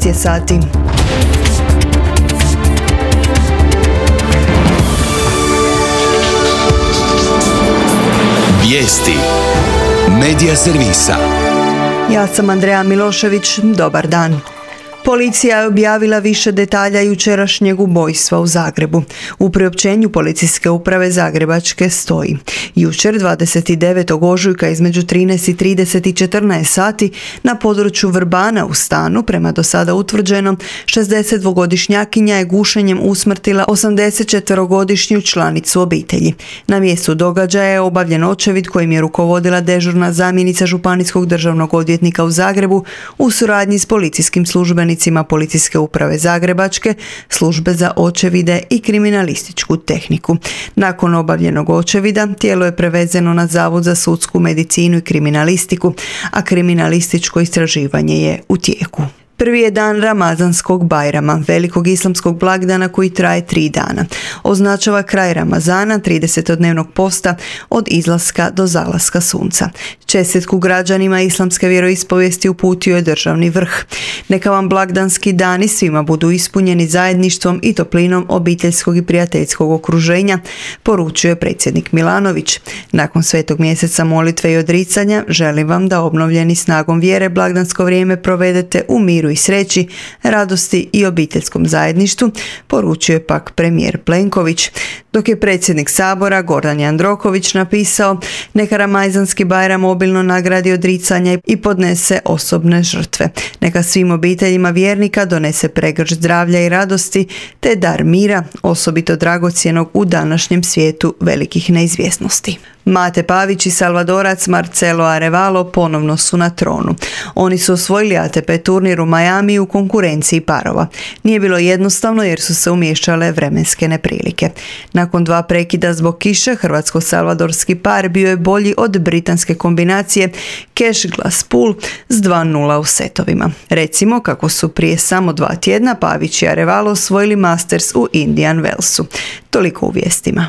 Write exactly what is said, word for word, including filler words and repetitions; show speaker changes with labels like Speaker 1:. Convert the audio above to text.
Speaker 1: je sati.
Speaker 2: Vijesti Medija servisa.
Speaker 1: Ja sam Andreja Milošević, dobar dan. Policija je objavila više detalja jučerašnjeg ubojstva u Zagrebu. U priopćenju Policijske uprave Zagrebačke stoji: jučer dvadeset devetog ožujka između trinaest i trideset i četrnaest sati na području Vrbana u stanu, prema do sada utvrđenom, šezdesetdvogodišnjakinja je gušenjem usmrtila osamdesetčetverogodišnju članicu obitelji. Na mjestu događaja je obavljen očevid kojim je rukovodila dežurna zamjenica županijskog državnog odvjetnika u Zagrebu u suradnji s policijskim službenicima Policijske uprave Zagrebačke, službe za očevide i kriminalističku tehniku. Nakon obavljenog očevida tijelo je prevezeno na Zavod za sudsku medicinu i kriminalistiku, a kriminalističko istraživanje je u tijeku. Prvi je dan Ramazanskog Bajrama, velikog islamskog blagdana koji traje tri dana. Označava kraj Ramazana, tridesetodnevnog posta od izlaska do zalaska sunca. Čestitku građanima islamske vjeroispovijesti uputio je državni vrh. Neka vam blagdanski dani svima budu ispunjeni zajedništvom i toplinom obiteljskog i prijateljskog okruženja, poručuje predsjednik Milanović. Nakon svetog mjeseca molitve i odricanja, želim vam da obnovljeni snagom vjere blagdansko vrijeme provedete u miru i sreći, radosti i obiteljskom zajedništvu, poručuje pak premijer Plenković. Dok je predsjednik Sabora Gordan Jandroković napisao: neka Ramazanski Bajram obilno nagradi odricanja i podnese osobne žrtve. Neka svim obiteljima vjernika donese pregršt zdravlja i radosti te dar mira, osobito dragocjenog u današnjem svijetu velikih neizvjesnosti. Mate Pavić i Salvadorac Marcelo Arevalo ponovno su na tronu. Oni su osvojili A T P turnir u Miami u konkurenciji parova. Nije bilo jednostavno jer su se umiješale vremenske neprilike. Nakon dva prekida zbog kiše, hrvatsko-salvadorski par bio je bolji od britanske kombinacije Cash Glass Pool s dva nula u setovima. Recimo kako su prije samo dva tjedna Pavić i Arevalo osvojili Masters u Indian Wellsu. Toliko u vijestima.